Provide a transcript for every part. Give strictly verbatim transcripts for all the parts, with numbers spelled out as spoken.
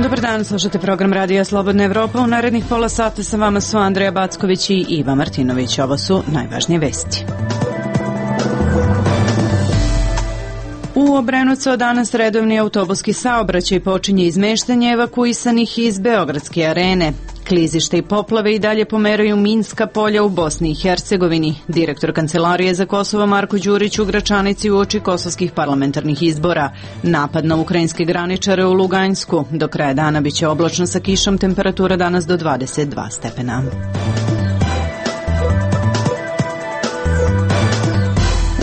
Dobar dan, slušate program Radija Slobodna Evropa. U narednih pola sata sa vama su Andreja Backović i Iva Martinović. Ovo su najvažnije vesti. U Obrenovcu od danas redovni autobuski saobraćaj počinje izmeštanje evakuisanih iz Beogradske arene. Klizište i poplave i dalje pomeraju minska polja u Bosni i Hercegovini. Direktor Kancelarije za Kosovo Marko Đurić u Gračanici uoči kosovskih parlamentarnih izbora. Napad na ukrajinske graničare u Luganjsku. Do kraja dana biće oblačno sa kišom, temperatura danas do dvadeset dva stepena.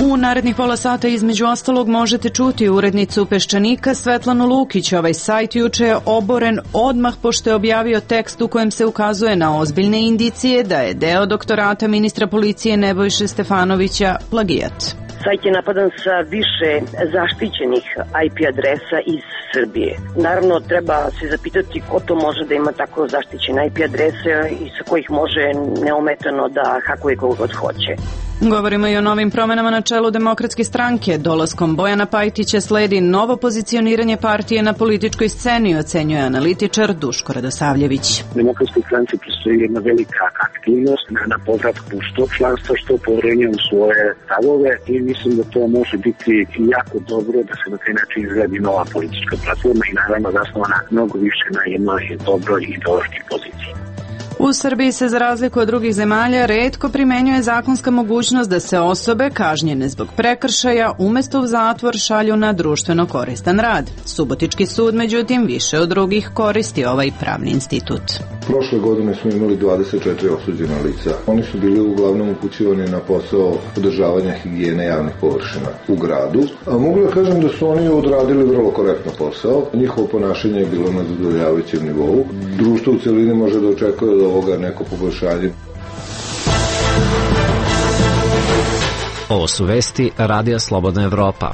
U narednih pola sata između ostalog možete čuti urednicu Peščanika Svetlanu Lukić. Ovaj sajt juče je oboren odmah pošto je objavio tekst u kojem se ukazuje na ozbiljne indicije da je deo doktorata ministra policije Nebojše Stefanovića plagijat. Sajt je napadan sa više zaštićenih I P adresa iz Srbije. Naravno, treba se zapitati ko to može da ima tako zaštićene I P adrese i sa kojih može neometano da hakuje koga god hoće. Govorimo i o novim promenama na čelu Demokratske stranke. Dolaskom Bojana Pajtića sledi novo pozicioniranje partije na političkoj sceni, ocenjuje analitičar Duško Radosavljević. Demokratskoj stranci postoji jedna velika aktivnost na, na povratku što članstva, što poverenja u svoje stavove i mislim da to može biti jako dobro da se na taj način izgradi nova politička platforma i naravno zasnovana mnogo više na jednoj dobroj ideološkoj poziciji. U Srbiji se za razliku od drugih zemalja retko primenjuje zakonska mogućnost da se osobe kažnjene zbog prekršaja umesto u zatvor šalju na društveno koristan rad. Subotički sud, međutim, više od drugih koristi ovaj pravni institut. Prošle godine smo imali dvadeset četiri osuđena lica. Oni su bili uglavnom upućivani na posao održavanja higijene javnih površina u gradu. A mogu da kažem da su oni odradili vrlo korektno posao. Njihovo ponašanje je bilo na zadovoljavajućem nivou. Društvo u celini može da očekuje od ovoga neko poboljšanje. Ovo su vesti Radija Slobodna Evropa.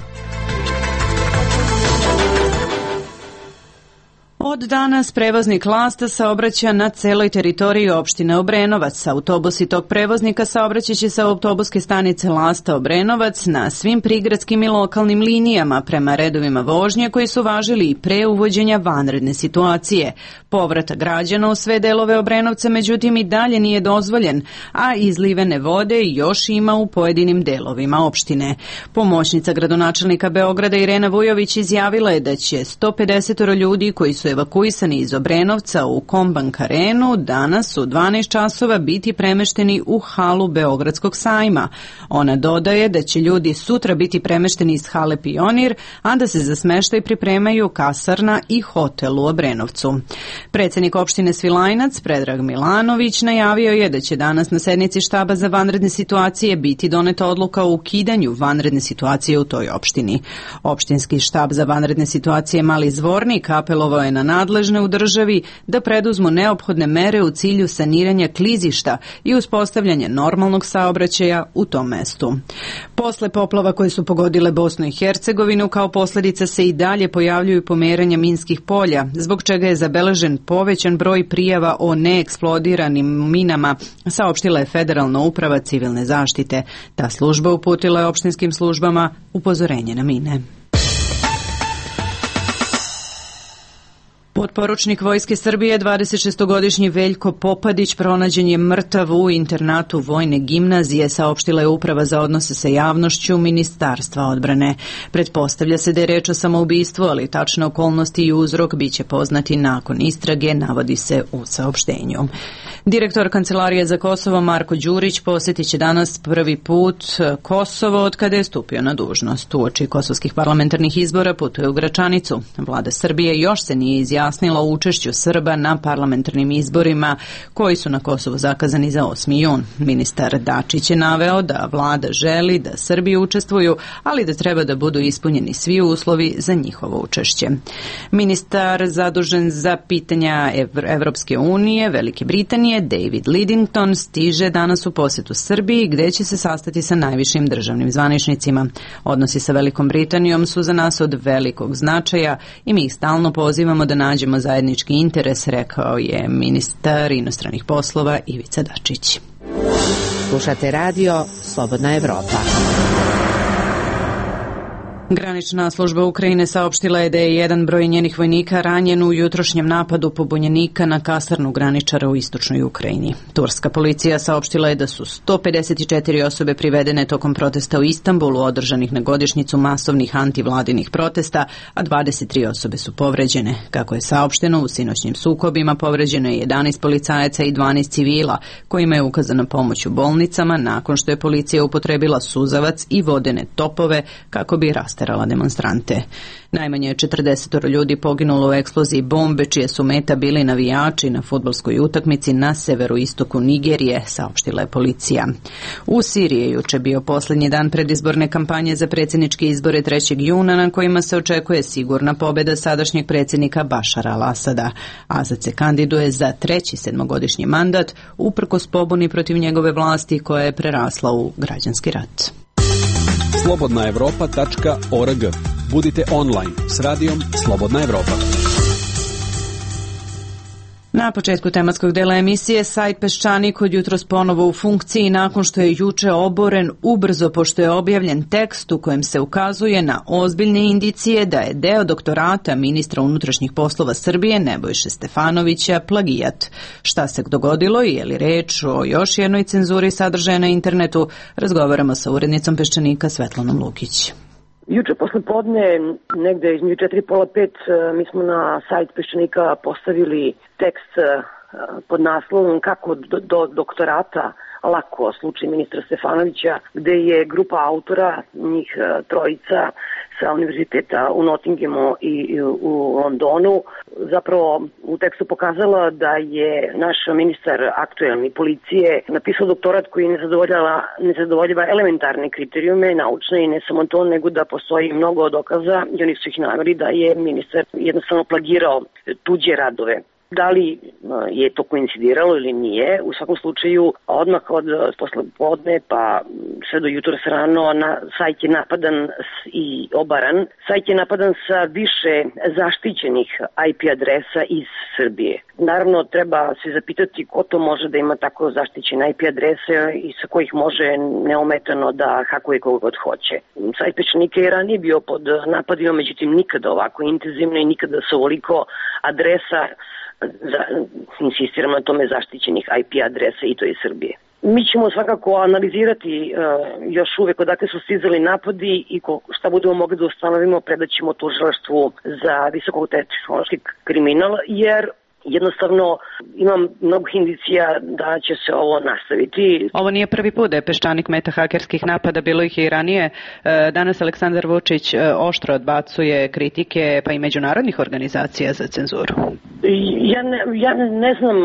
Od danas prevoznik Lasta saobraća na celoj teritoriji opštine Obrenovac. Autobusi tog prevoznika saobraćaće sa autobuske stanice Lasta Obrenovac na svim prigradskim i lokalnim linijama prema redovima vožnje koji su važili i pre uvođenja vanredne situacije. Povratak građana u sve delove Obrenovca međutim i dalje nije dozvoljen, a izlivene vode još ima u pojedinim delovima opštine. Pomoćnica gradonačelnika Beograda Irena Vujović izjavila je da će sto pedeset ljudi koji su evakuisani iz Obrenovca u Kombank arenu danas u dvanaest časova biti premešteni u halu Beogradskog sajma. Ona dodaje da će ljudi sutra biti premešteni iz hale Pionir, a da se za smeštaj pripremaju kasarna i hotel u Obrenovcu. Predsednik opštine Svilajnac Predrag Milanović najavio je da će danas na sednici štaba za vanredne situacije biti doneta odluka o ukidanju vanredne situacije u toj opštini. Opštinski štab za vanredne situacije Mali Zvornik apelovao je na nadležne u državi da preduzmu neophodne mere u cilju saniranja klizišta i uspostavljanja normalnog saobraćaja u tom mestu. Posle poplava koje su pogodile Bosnu i Hercegovinu, kao posledica se i dalje pojavljuju pomeranja minskih polja, zbog čega je zabeležen povećan broj prijava o neeksplodiranim minama, saopštila je Federalna uprava civilne zaštite. Ta služba uputila je opštinskim službama upozorenje na mine. Potporučnik Vojske Srbije, dvadesetšestogodišnji Veljko Popadić, pronađen je mrtav u internatu Vojne gimnazije, saopštila je Uprava za odnose sa javnošću Ministarstva odbrane. Pretpostavlja se da je reč o samoubistvu, ali tačne okolnosti i uzrok biće poznati nakon istrage, navodi se u saopštenju. Direktor Kancelarije za Kosovo Marko Đurić posjetit će danas prvi put Kosovo od kada je stupio na dužnost. Uoči kosovskih parlamentarnih izbora putuje u Gračanicu. Vlada Srbije još se nije izjasnila o učešću Srba na parlamentarnim izborima koji su na Kosovu zakazani za osmi jun. Ministar Dačić je naveo da vlada želi da Srbi učestvuju, ali da treba da budu ispunjeni svi uslovi za njihovo učešće. Ministar zadužen za pitanja Evropske unije Velike Britanije David Lidington stiže danas u posjetu Srbiji, gde će se sastati sa najvišim državnim zvaničnicima. Odnosi sa Velikom Britanijom su za nas od velikog značaja i mi ih stalno pozivamo da nađemo zajednički interes, rekao je ministar inostranih poslova Ivica Dačić. Slušate radio Slobodna Evropa. Granična služba Ukrajine saopštila je da je jedan broj njenih vojnika ranjen u jutrošnjem napadu pobunjenika na kasarnu graničara u istočnoj Ukrajini. Turska policija saopštila je da su sto pedeset četiri osobe privedene tokom protesta u Istanbulu održanih na godišnjicu masovnih antivladinih protesta, a dvadeset tri osobe su povređene. Kako je saopšteno, u sinoćnim sukobima povređeno je jedanaest policajaca i dvanaest civila, kojima je ukazana pomoć u bolnicama nakon što je policija upotrebila suzavac i vodene topove kako bi rasterala demonstrante. Najmanje četrdeset ljudi poginulo u eksploziji bombe čije su meta bili navijači na fudbalskoj utakmici na severoistoku Nigerije, saopštila je policija. U Siriji je juče bio posljednji dan predizborne kampanje za predsjedničke izbore trećeg juna na kojima se očekuje sigurna pobjeda sadašnjeg predsjednika Bašara al-Asada. Asad se kandiduje za treći sedmogodišnji mandat uprkos pobuni protiv njegove vlasti koja je prerasla u građanski rat. slobodna evropa tačka org. Budite online s radijom Slobodna Evropa. Na početku tematskog dela emisije, sajt Peščanik od jutros ponovo u funkciji nakon što je juče oboren ubrzo pošto je objavljen tekst u kojem se ukazuje na ozbiljne indicije da je deo doktorata ministra unutrašnjih poslova Srbije Nebojše Stefanovića plagijat. Šta se dogodilo i je li reč o još jednoj cenzuri sadržaja na internetu, razgovaramo sa urednicom Peščanika Svetlanom Lukić. Juče posle podne, negde između četiri i pola pet, mi smo na sajt Peščanika postavili tekst pod naslovom Kako do, do doktorata lako, slučaj ministra Stefanovića, gde je grupa autora, njih trojica sa univerziteta u Nottinghamu i u Londonu, zapravo u tekstu pokazala da je naš ministar aktuelni policije napisao doktorat koji ne zadovoljava, ne zadovoljava elementarne kriterijume naučne i ne samo to, nego da postoji mnogo dokaza i oni su ih naveli da je ministar jednostavno plagirao tuđe radove. Da li je to koincidiralo ili nije, u svakom slučaju odmah od posle podne pa sve do jutros rano na sajt je napadan i obaran. Sajt je napadan sa više zaštićenih I P adresa iz Srbije. Naravno, treba se zapitati ko to može da ima tako zaštićene I P adrese i sa kojih može neometano da hakuje koga god hoće. Sajt Peščanika je ranije bio pod napadima, međutim nikada ovako intenzivno i nikada sa ovoliko adresa, za, insistiram na tome, zaštićenih I P adresa i to iz Srbije. Mi ćemo svakako analizirati uh, još uvek odakle su stizali napadi i ko, šta budemo mogli da ustanovimo, predaćemo tužilaštvu za visokotehnološki kriminal, jer jednostavno imam mnogo indicija da će se ovo nastaviti. Ovo nije prvi put da je Peščanik meta hakerskih napada, bilo ih i ranije. Danas Aleksandar Vučić oštro odbacuje kritike pa i međunarodnih organizacija za cenzuru. Ja ne, ja ne znam,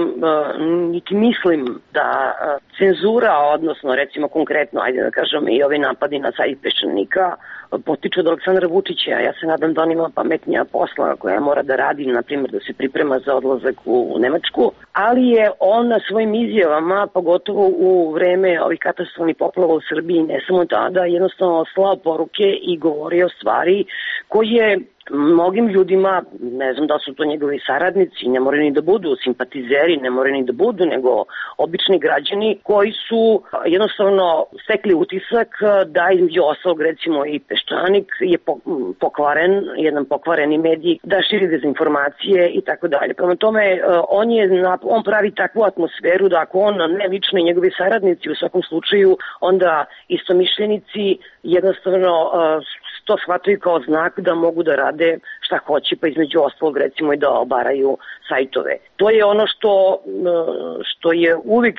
niti mislim da cenzura, odnosno recimo konkretno, ajde da kažem, i ovi napadi na sajt Peščanika potiču od Aleksandra Vučića. Ja se nadam da on ima pametnija posla koja mora da radi, na primjer da se priprema za odlazak u Nemačku, ali je on na svojim izjavama, pogotovo u vreme ovih katastrofalnih poplava u Srbiji, ne samo tada, jednostavno slao poruke i govorio stvari koje mnogim ljudima, ne znam da su to njegovi saradnici, ne moraju ni da budu simpatizeri, ne moraju ni da budu, nego obični građani koji su jednostavno stekli utisak da između ostalog recimo i Peščanik je pokvaren, jedan pokvareni medij, da širi dezinformacije i tako dalje. Prema tome, on, je, on pravi takvu atmosferu da ako on, ne lično i njegovi saradnici u svakom slučaju, onda istomišljenici jednostavno to shvataju kao znak da mogu da rade šta hoće, pa između ostalog recimo i da obaraju sajtove. To je ono što, što je uvijek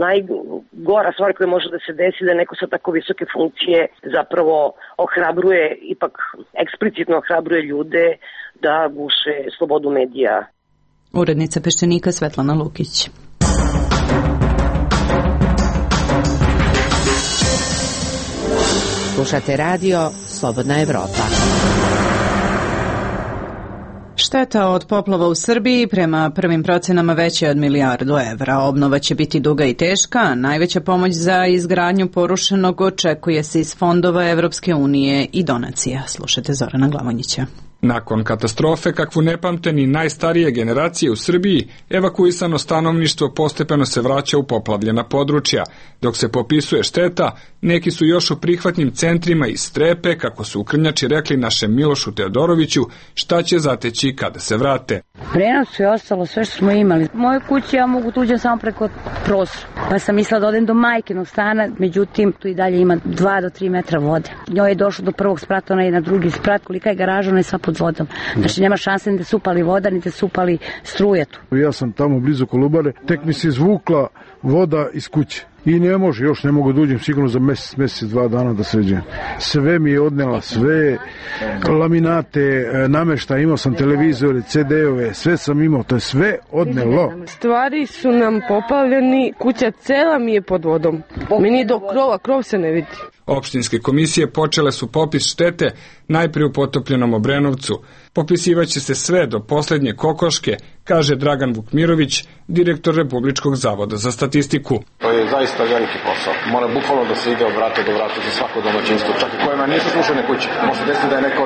najgora stvar koja može da se desi, da neko sa tako visoke funkcije zapravo ohrabruje, ipak eksplicitno ohrabruje ljude da guše slobodu medija. Urednica Peščanika Svetlana Lukić. Slušate radio Slobodna Evropa. Šteta od poplava u Srbiji prema prvim procenama veća od milijardu evra. Obnova će biti duga i teška, a najveća pomoć za izgradnju porušenog očekuje se iz fondova Evropske unije i donacija. Slušajte Zorana Glavonjića. Nakon katastrofe kakvu ne pamte ni najstarije generacije u Srbiji, evakuisano stanovništvo postepeno se vraća u poplavljena područja. Dok se popisuje šteta, neki su još u prihvatnim centrima i strepe, kako su ukrnjači rekli našem Milošu Teodoroviću, šta će zateći kada se vrate. Brenovcu je ostalo sve što smo imali. U mojoj kući ja mogu tuđem samo preko prozora. Pa sam mislila da odem do majkinog stana, međutim tu i dalje ima dva do tri metra vode. Njoj je došlo do prvog sprata, ona je na drugi sprat, kolika je garaža, ona je sva pod vodom. Znači nema šanse ni da se upali voda, ni da se upali struje tu. Ja sam tamo blizu Kolubare, tek mi se izvukla voda iz kuće. I ne može, još ne mogu da uđem sigurno za mesec, mesec, dva dana da sređujem. Sve mi je odnela, sve laminate, namešta, imao sam televizore, ce de-ove, sve sam imao, to je sve odnelo. Stvari su nam poplavljeni, kuća cela mi je pod vodom. Meni do krova, krov se ne vidi. Opštinske komisije počele su popis štete najprije u potopljenom Obrenovcu. Popisivaće se sve do poslednje kokoške, kaže Dragan Vukmirović, direktor Republičkog zavoda za statistiku. To je zaista veliki posao. Mora bukvalno da se ide od vrata do vrata za svako domaćinstvo, čak i kojima nisu slušane kuće. Može desiti da je neko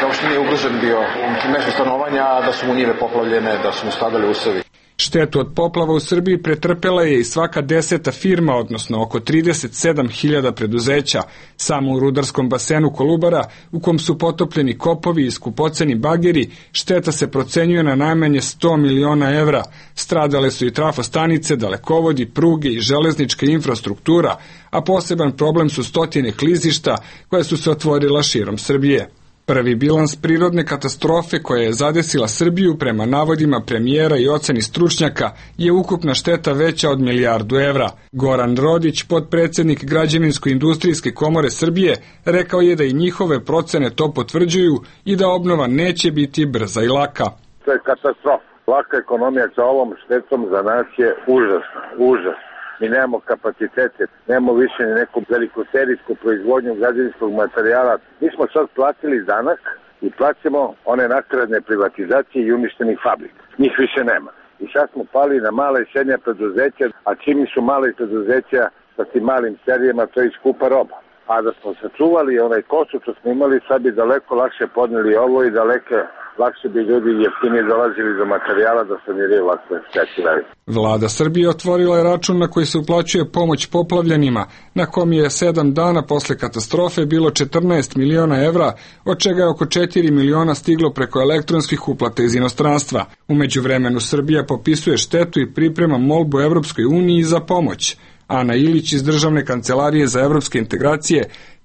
da uopšte nije ugrožen bio u mestu stanovanja, da su mu njive poplavljene, da su mu stadali usevi. Štetu od poplava u Srbiji pretrpela je i svaka deseta firma, odnosno oko trideset sedam hiljada preduzeća. Samo u rudarskom basenu Kolubara, u kom su potopljeni kopovi i skupoceni bageri, šteta se procenjuje na najmanje sto miliona evra. Stradale su i trafostanice, dalekovodi, pruge i železnička infrastruktura, a poseban problem su stotine klizišta koje su se otvorila širom Srbije. Prvi bilans prirodne katastrofe koja je zadesila Srbiju prema navodima premijera i oceni stručnjaka je ukupna šteta veća od milijardu evra. Goran Rodić, potpredsednik Građevinsko-industrijske komore Srbije, rekao je da i njihove procene to potvrđuju i da obnova neće biti brza i laka. To je katastrofa. Laka ekonomija sa ovom štetom za nas je užasna, užasna. Mi nemamo kapacitete, nemamo više ni neku velikoserijsku proizvodnju građevinskog materijala. Mi smo sad platili danak i plaćamo one nakaradne privatizacije i uništenih fabrika. Njih više nema. I sad smo pali na male i srednje preduzeća, a čim su male preduzeća sa tim malim serijama, to je skupa roba. A da smo sačuvali onaj kosu što smo imali, sad bi daleko lakše podneli ovo i daleko lakše bi ljudi jeftinije dolazili do materijala da saniraju ovakve štete. Vlada Srbije otvorila je račun na koji se uplaćuje pomoć poplavljenima, na kom je sedam dana posle katastrofe bilo četrnaest miliona evra, od čega je oko četiri miliona stiglo preko elektronskih uplata iz inostranstva. U međuvremenu Srbija popisuje štetu i priprema molbu Evropskoj uniji za pomoć. Ana Ilić iz Državne kancelarije za evropske integracije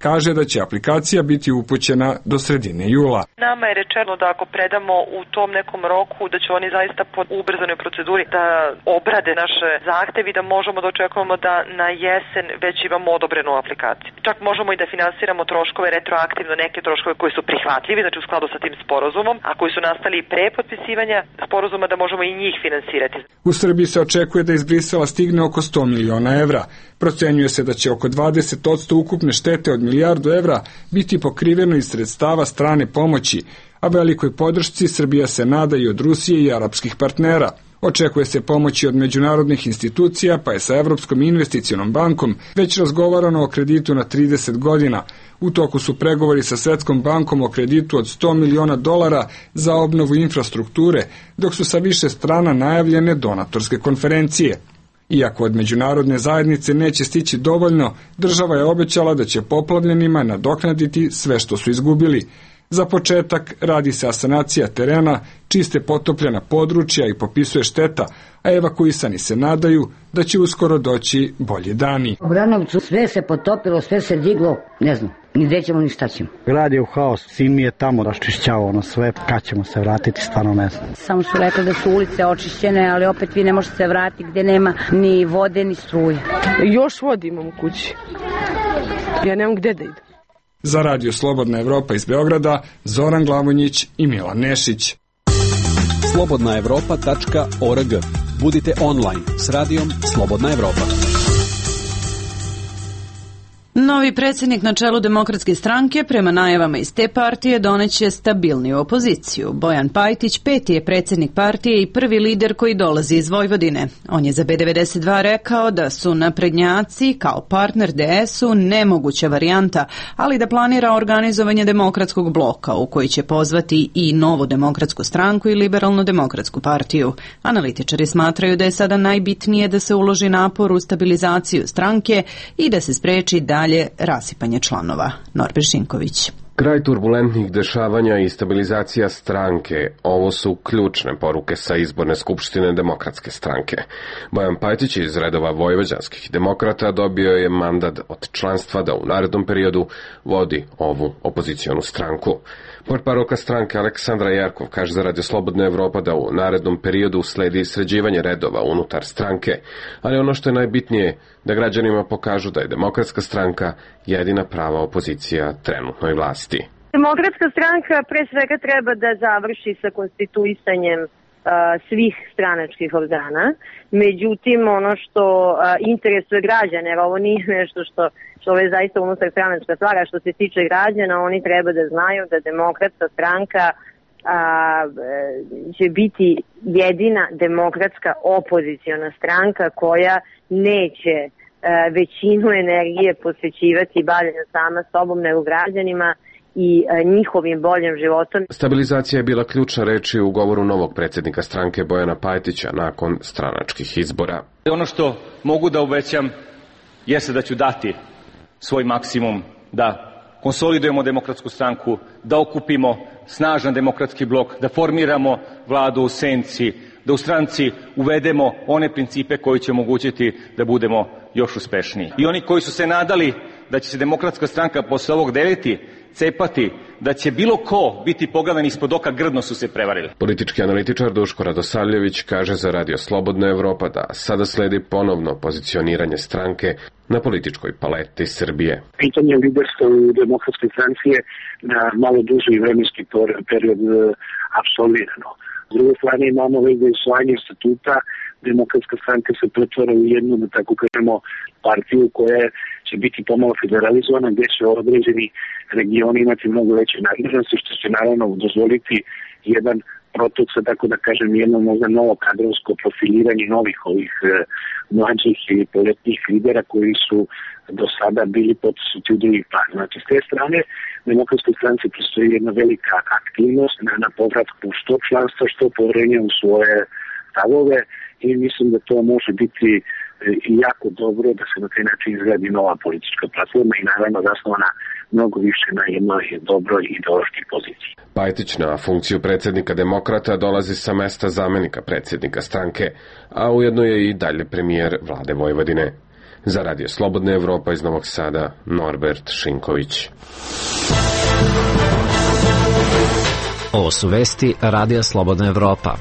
kaže da će aplikacija biti upućena do sredine jula. Nama je rečeno da ako predamo u tom nekom roku, da će oni zaista po ubrzanoj proceduri da obrade naše zahteve i da možemo da očekujemo da na jesen već imamo odobrenu aplikaciju. Čak možemo i da finansiramo troškove retroaktivno, neke troškove koji su prihvatljivi, znači u skladu sa tim sporazumom, a koji su nastali pre potpisivanja sporazuma, da možemo i njih finansirati. U Srbiji se očekuje da iz Brisela stigne oko sto miliona evra. Procenjuje se da će oko dvadeset posto ukupne štete od milijardu evra biti pokriveno iz sredstava strane pomoći, a velikoj podršci Srbija se nada i od Rusije i arapskih partnera. Očekuje se pomoći od međunarodnih institucija, pa je sa Evropskom investicionom bankom već razgovarano o kreditu na trideset godina. U toku su pregovori sa Svetskom bankom o kreditu od sto miliona dolara za obnovu infrastrukture, dok su sa više strana najavljene donatorske konferencije. Iako od međunarodne zajednice neće stići dovoljno, država je obećala da će poplavljenima nadoknaditi sve što su izgubili. Za početak radi se asanacija terena, čiste potopljena područja i popisuje šteta, a evakuisani se nadaju da će uskoro doći bolji dani. U Branovcu sve se potopilo, sve se diglo, ne znam, ni gde ćemo ni šta ćemo. Grad je u haos, sin mi je tamo raščišćavao ono sve, kad ćemo se vratiti, stvarno ne znam. Samo su rekli da su ulice očišćene, ali opet vi ne možete se vratiti gde nema ni vode ni struje. Još vode imam u kući, ja nemam gde da idem. Za Radio Slobodna Evropa iz Beograda, Zoran Glavonjić i Milan Nešić. slobodna evropa tačka org. Budite online s radijom Slobodna Evropa. No Novi predsjednik na čelu Demokratske stranke prema najavama iz te partije doneće stabilniju opoziciju. Bojan Pajtić peti je predsjednik partije i prvi lider koji dolazi iz Vojvodine. On je za B devedeset dva rekao da su naprednjaci kao partner D S-u nemoguća varijanta, ali da planira organizovanje demokratskog bloka u koji će pozvati i Novu demokratsku stranku i Liberalnu demokratsku partiju. Analitičari smatraju da je sada najbitnije da se uloži napor u stabilizaciju stranke i da se spreči dalje rasipanje članova. Norbert Šinković. Kraj turbulentnih dešavanja i stabilizacija stranke, ovo su ključne poruke sa izborne skupštine Demokratske stranke. Bojan Pajtić iz redova vojvođanskih demokrata dobio je mandat od članstva da u narednom periodu vodi ovu opozicionu stranku. Portparolka stranke Aleksandra Jerkov kaže za Radio Slobodna Evropa da u narednom periodu sledi sređivanje redova unutar stranke, ali ono što je najbitnije da građanima pokažu da je Demokratska stranka jedina prava opozicija trenutnoj vlasti. Demokratska stranka pre svega treba da završi sa konstituisanjem uh, svih stranačkih organa. Međutim, ono što uh, interesuje građane, jer ovo nije nešto što, što je zaista unutar stranačka stvar, što se tiče građana, oni treba da znaju da Demokratska stranka a, će biti jedina demokratska opoziciona stranka koja neće a, većinu energije posvećivati bavljenju sama sobom nego građanima i a, njihovim boljim životom. Stabilizacija je bila ključna reč u govoru novog predsjednika stranke Bojana Pajtića nakon stranačkih izbora. Ono što mogu da obećam jeste da ću dati svoj maksimum da konsolidujemo Demokratsku stranku, da okupimo snažan demokratski blok, da formiramo vladu u senci, da u stranci uvedemo one principe koji će omogućiti da budemo još uspešniji. I oni koji su se nadali da će se Demokratska stranka posle ovog deliti, cepati, da će bilo ko biti pogledan ispod oka, grdno su se prevarili. Politički analitičar Duško Radosavljević kaže za Radio Slobodna Evropa da sada sledi ponovno pozicioniranje stranke na političkoj paleti Srbije. Pitanje liderstva u Demokratskoj stranci je na malo duži vremenski period apsolvirano. S druge strane imamo već da je usvajanje statuta, Demokratska stranka se pretvara u jednu, da tako kažemo, partiju koja će biti pomalo federalizovana, gdje će određeni regioni imati mnogo veće nadležnosti, što će naravno dozvoliti jedan protok, sa tako da kažem, jedno možda novo kadrovsko profiliranje novih ovih e, mlađih i poletnih lidera koji su do sada bili potisnuti u drugih plan. Znači, s te strane, Demokratskoj stranci postoji jedna velika aktivnost na, na povratku što članstva, što poverenja u svoje stavove i mislim da to može biti i jako dobro da se na taj način izgradi nova politička platforma i naravno zasnovana mnogo više na jednoj dobroj ideološkoj poziciji. Pajtić na funkciju predsjednika Demokrata dolazi sa mesta zamenika predsjednika stranke, a ujedno je i dalje premijer vlade Vojvodine. Za Radio Slobodna Evropa iz Novog Sada, Norbert Šinković. Ovo su vesti Radija Slobodna Evropa.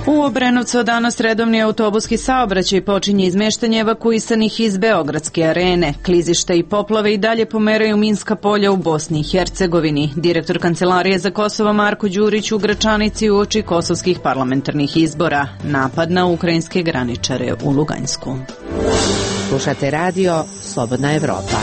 U Obrenovcu danas redovni autobuski saobraćaj počinje izmeštanje evakuisanih iz Beogradske arene. Klizišta i poplave i dalje pomeraju minska polja u Bosni i Hercegovini. Direktor Kancelarije za Kosovo Marko Đurić u Gračanici uoči kosovskih parlamentarnih izbora. Napad na ukrajinske graničare u Luganjsku. Slušate radio Slobodna Evropa.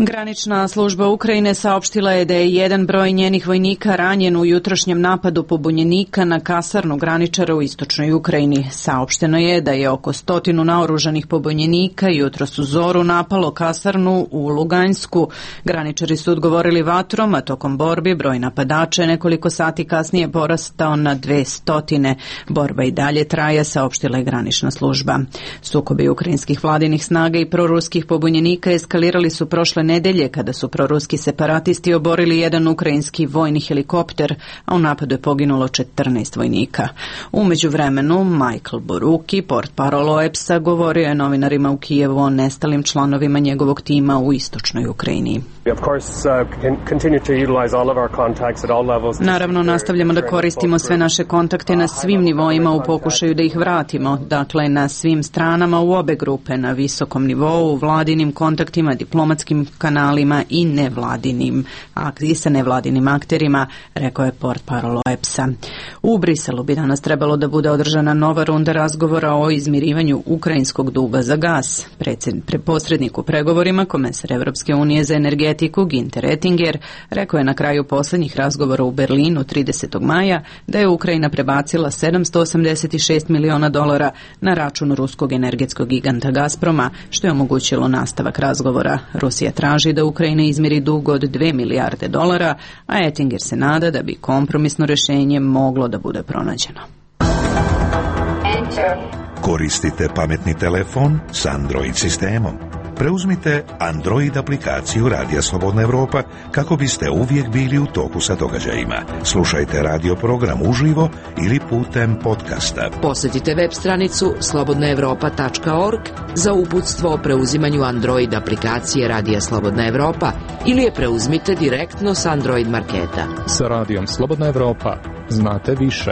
Granična služba Ukrajine saopštila je da je jedan broj njenih vojnika ranjen u jutrošnjem napadu pobunjenika na kasarnu graničara u istočnoj Ukrajini. Saopšteno je da je oko stotinu naoružanih pobunjenika jutros u zoru napalo kasarnu u Luganjsku. Graničari su odgovorili vatrom, a tokom borbi broj napadača je nekoliko sati kasnije porastao na dve stotine. Borba i dalje traje, saopštila je granična služba. Sukobi ukrajinskih vladinih snaga i proruskih pobunjenika eskalirali su prošle nedelje kada su proruski separatisti oborili jedan ukrajinski vojni helikopter, a u napadu je poginulo četrnaest vojnika. U međuvremenu, Michael Boruki, portparol O E P S-a, govorio je novinarima u Kijevu o nestalim članovima njegovog tima u istočnoj Ukrajini. Naravno, nastavljamo da koristimo sve naše kontakte na svim nivoima u pokušaju da ih vratimo, dakle na svim stranama u obe grupe, na visokom nivou, vladinim kontaktima, diplomatskim kanalima i nevladinim, i sa nevladinim akterima, rekao je portparol O E P S-a. U Briselu bi danas trebalo da bude održana nova runda razgovora o izmirivanju ukrajinskog duga za gas. Pre posrednik u pregovorima, komesar Evropske unije za energetiku Ginter Oettinger, rekao je na kraju poslednjih razgovora u Berlinu tridesetog maja da je Ukrajina prebacila sedamsto osamdeset šest miliona dolara na račun ruskog energetskog giganta Gazproma, što je omogućilo nastavak razgovora. Rusija traži da Ukrajina izmiri dug od dve milijarde dolara, a Oettinger se nada da bi kompromisno rešenje moglo da bude pronađeno. Koristite pametni telefon s Android sistemom. Preuzmite Android aplikaciju Radija Slobodna Evropa kako biste uvijek bili u toku sa događajima. Slušajte radio program uživo ili putem podcasta. Posjetite web stranicu slobodna evropa tačka org za uputstvo o preuzimanju Android aplikacije Radija Slobodna Evropa ili je preuzmite direktno s Android marketa. Sa Radijom Slobodna Evropa znate više.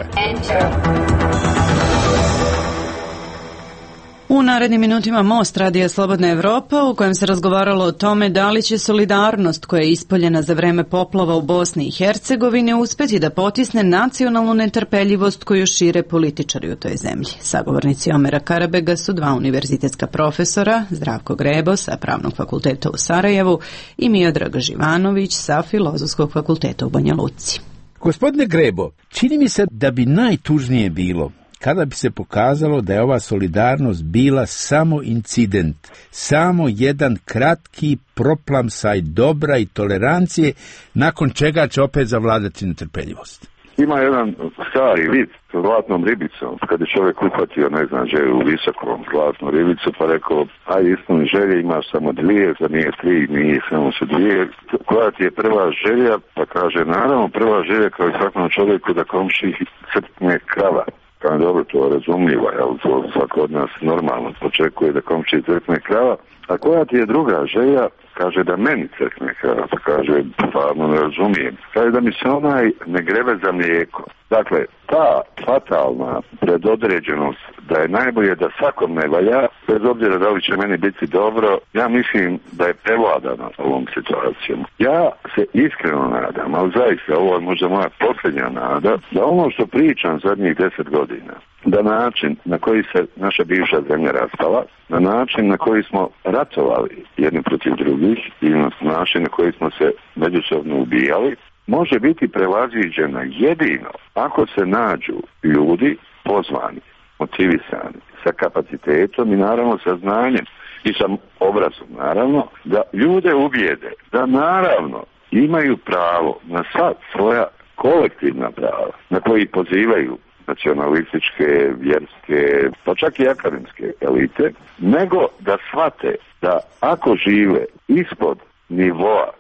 U narednim minutima Most Radija Slobodna Evropa, u kojem se razgovaralo o tome da li će solidarnost koja je ispoljena za vreme poplava u Bosni i Hercegovini uspeti da potisne nacionalnu netrpeljivost koju šire političari u toj zemlji. Sagovornici Omera Karabega su dva univerzitetska profesora, Zdravko Grebo sa Pravnog fakulteta u Sarajevu i Miodrag Živanović sa Filozofskog fakulteta u Banja Luci. Gospodine Grebo, čini mi se da bi najtužnije bilo kada bi se pokazalo da je ova solidarnost bila samo incident, samo jedan kratki proplamsaj dobra i tolerancije, nakon čega će opet zavladati netrpeljivost. Ima jedan stari vid s zlatnom ribicom, kad je čovjek uhvatio, ne znam, želju u visokom zlatnu ribicu, pa rekao, aj ispuni želje, imaš samo dvije, za nije tri, nije samo su dvije. Koja ti je prva želja? Pa kaže, naravno, prva želja kao i svakom čovjeku da komši crkne krava. Kao je dobro to razumljivo, jel, to svako od nas normalno očekuje da komši crkne krava. A koja ti je druga želja? Kaže da meni crkne krava, pa kaže, stvarno ne razumijem. Kaže da mi se onaj ne grebe za mlijeko. Dakle, ta fatalna predodređenost da je najbolje da svakom ne valja, bez obzira da li će meni biti dobro, ja mislim da je prevladana ovom situacijom. Ja se iskreno nadam, ali zaista ovo je možda moja posljednja nada, da ono što pričam zadnjih deset godina, da način na koji se naša bivša zemlja raspala, na način na koji smo ratovali jedni protiv drugih i na način na koji smo se međusobno ubijali, može biti prevaziđena jedino ako se nađu ljudi pozvani, motivisani, sa kapacitetom i naravno sa znanjem i sa obrazom, naravno, da ljude ubijede, da naravno imaju pravo na sva svoja kolektivna prava na koji pozivaju nacionalističke, vjerske, pa čak i akademske elite, nego da shvate da ako žive ispod nivoa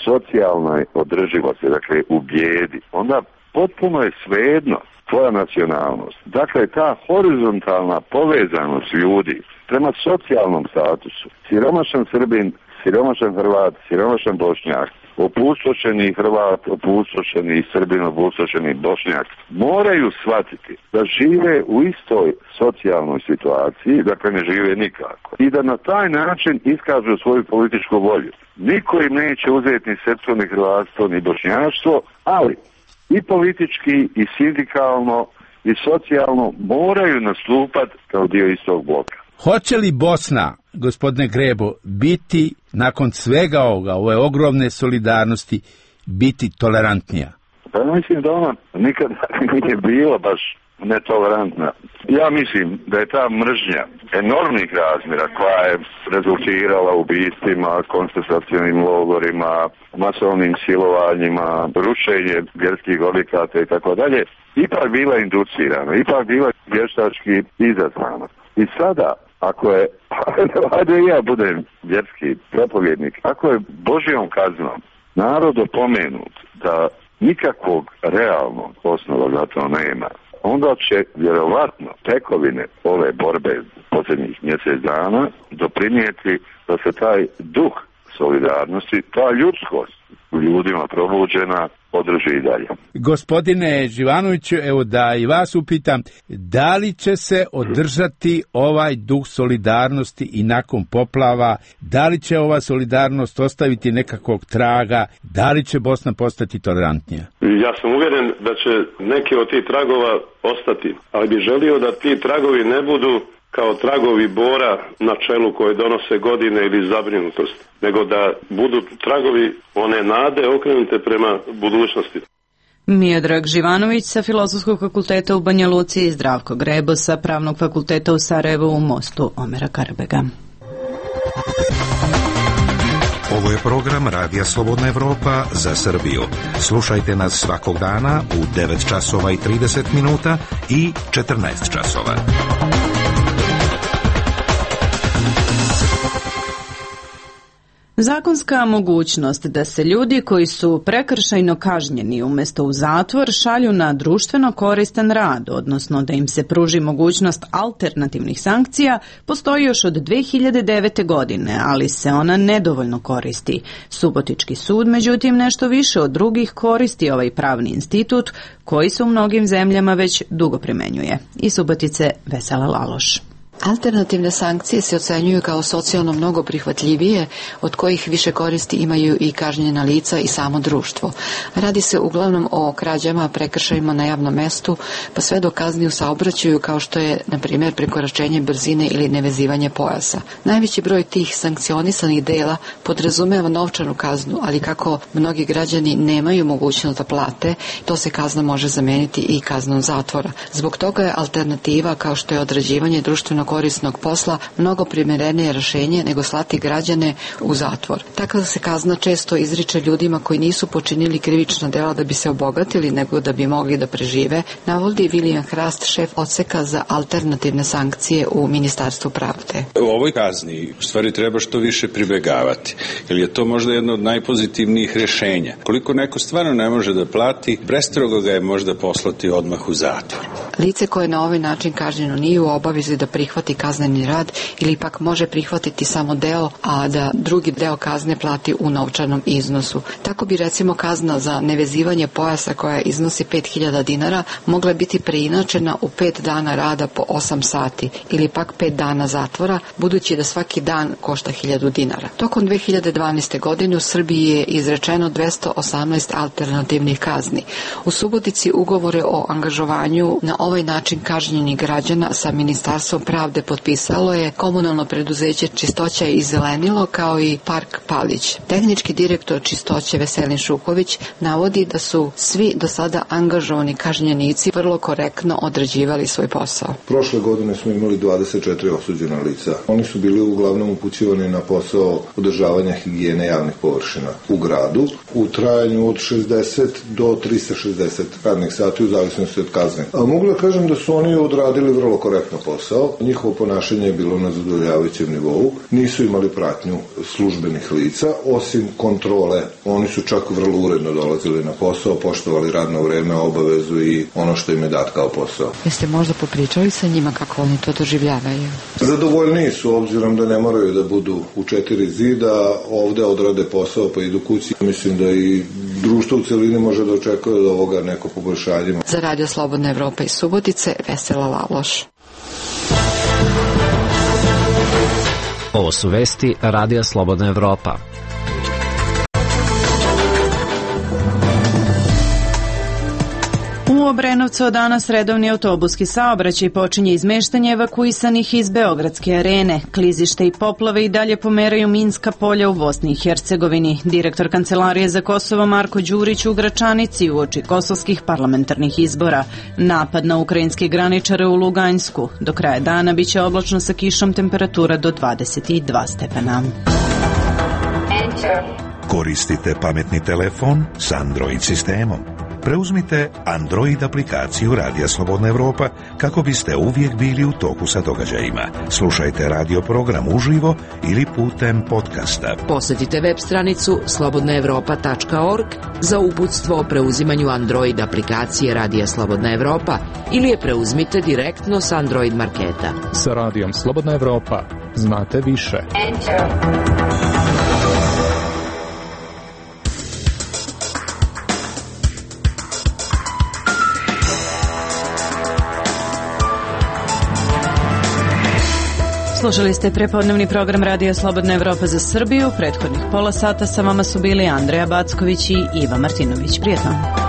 socijalnoj održivosti, dakle u bijedi, onda potpuno je svejedno tvoja nacionalnost. Dakle, ta horizontalna povezanost ljudi prema socijalnom statusu, siromašan Srbin, siromašan Hrvat, siromašan Bošnjak, opustošeni Hrvat, opustošeni Srbin, opustošeni Bošnjak, moraju shvatiti da žive u istoj socijalnoj situaciji, dakle ne žive nikako. I da na taj način iskažu svoju političku volju. Niko im neće uzeti ni srpstvo, ni hrvatstvo, ni bošnjaštvo, ali i politički, i sindikalno, i socijalno moraju nastupati kao dio istog bloka. Hoće li Bosna, gospodine Grebo, biti nakon svega ovoga, ove ogromne solidarnosti, biti tolerantnija? Pa mislim da ona nikada nije bila baš netolerantna. Ja mislim da je ta mržnja enormnih razmjera koja je rezultirala ubistvima, koncentracionim logorima, masovnim silovanjima, rušenje vjerskih objekata i tako dalje, ipak bila inducirana, ipak bila vještački izazvana. I sada, ako je, ajde ja budem vjerski propovjednik, ako je Božjom kaznom narod opomenut da nikakvog realnog osnova za to nema, onda će vjerovatno tekovine ove borbe posljednjih mjesec dana doprinijeti da se taj duh solidarnosti, ta ljudskost ljudima probuđena, održi i dalje. Gospodine Živanoviću, evo da i vas upitam, da li će se održati ovaj duh solidarnosti i nakon poplava, da li će ova solidarnost ostaviti nekakvog traga, da li će Bosna postati tolerantnija? Ja sam uvjeren da će neki od tih tragova ostati, ali bih želio da ti tragovi ne budu kao tragovi bora na čelu koje donose godine ili zabrinutost, nego da budu tragovi one nade okrenute prema budućnosti. Miodrag Živanović sa Filozofskog fakulteta u Banja Luci i Zdravko Grebo sa Pravnog fakulteta u Sarajevu u mostu Omera Karbega. Ovo je program Radija Slobodna Evropa za Srbiju. Slušajte nas svakog dana u devet časova i trideset minuta i četrnaest časova. Zakonska mogućnost da se ljudi koji su prekršajno kažnjeni umjesto u zatvor šalju na društveno koristan rad, odnosno da im se pruži mogućnost alternativnih sankcija, postoji još od dve hiljade devete. godine, ali se ona nedovoljno koristi. Subotički sud, međutim, nešto više od drugih koristi ovaj pravni institut koji se u mnogim zemljama već dugo primenjuje. Iz Subotice Vesela Laloš. Alternativne sankcije se ocenjuju kao socijalno mnogo prihvatljivije, od kojih više koristi imaju i kažnjena lica i samo društvo. Radi se uglavnom o krađama, prekršajima na javnom mestu, pa sve do kazni u saobraćaju kao što je, na primjer, prekoračenje brzine ili nevezivanje pojasa. Najveći broj tih sankcionisanih dela podrazumeva novčanu kaznu, ali kako mnogi građani nemaju mogućnost da plate, to se kazna može zameniti i kaznom zatvora. Zbog toga je alternativa kao što je odrađivanje društveno korisnog posla mnogo primjerenije rješenje nego slati građane u zatvor. Takva se kazna često izriče ljudima koji nisu počinili krivična dela da bi se obogatili, nego da bi mogli da prežive, navodi William Hrast, šef odseka za alternativne sankcije u Ministarstvu pravde. U ovoj kazni u stvari treba što više pribegavati, jer je to možda jedno od najpozitivnijih rješenja. Koliko neko stvarno ne može da plati, prestrogo ga je možda poslati odmah u zatvor. Lice koje na ovaj način kažnjeno nije u obavezi da prihvati kazneni rad ili pak može prihvatiti samo deo, a da drugi deo kazne plati u novčanom iznosu. Tako bi recimo kazna za nevezivanje pojasa koja iznosi pet hiljada dinara mogla biti preinačena u pet dana rada po osam sati ili pak pet dana zatvora, budući da svaki dan košta hiljadu dinara. Tokom dve hiljade dvanaeste. godine u Srbiji je izrečeno dvesta osamnaest alternativnih kazni. U Subotici ugovore o angažovanju na ovaj način kažnjenih građana sa Ministarstvom pravde potpisalo je komunalno preduzeće Čistoća i zelenilo kao i Park Palić. Tehnički direktor Čistoće Veselin Šuković navodi da su svi do sada angažovani kažnjenici vrlo korektno odrađivali svoj posao. Prošle godine smo imali dvadeset četiri osuđena lica. Oni su bili uglavnom upućivani na posao održavanja higijene javnih površina u gradu u trajanju od šezdeset do trista šezdeset radnih sati u zavisnosti od kazne. A mogu da kažem da su oni odradili vrlo korektno posao. Njihovo ponašanje je bilo na zadovoljavajućem nivou. Nisu imali pratnju službenih lica, osim kontrole. Oni su čak vrlo uredno dolazili na posao, poštovali radno vreme, obavezu i ono što im je dat kao posao. Jeste možda popričali sa njima kako oni to doživljavaju? Zadovoljniji su, obzirom da ne moraju da budu u četiri zida, ovde odrade posao pa idu kući. Mislim da i društvo u celini može da očekuje od ovoga neko poboljšanje. Za Radio Slobodna Evropa iz Subotice, Vesela Laloš. Ovo su vesti Radija Slobodna Evropa. U Obrenovcu od danas redovni autobuski saobraćaj počinje izmeštanje evakuisanih iz Beogradske arene. Klizište i poplave i dalje pomeraju minska polja u Bosni i Hercegovini. Direktor Kancelarije za Kosovo Marko Đurić u Gračanici uoči kosovskih parlamentarnih izbora. Napad na ukrajinske graničare u Luganjsku. Do kraja dana biće oblačno sa kišom, temperatura do dvadeset dva stepena. Koristite pametni telefon s Android sistemom. Preuzmite Android aplikaciju Radija Slobodna Evropa kako biste uvijek bili u toku sa događajima. Slušajte radio program uživo ili putem podcasta. Posjetite web stranicu slobodna evropa tačka org za uputstvo o preuzimanju Android aplikacije Radija Slobodna Evropa ili je preuzmite direktno s Android marketa. Sa Radijom Slobodna Evropa znate više. Slušali ste prepodnevni program Radija Slobodna Evropa za Srbiju. Prethodnih pola sata sa vama su bili Andreja Backović i Iva Martinović. Prijetno.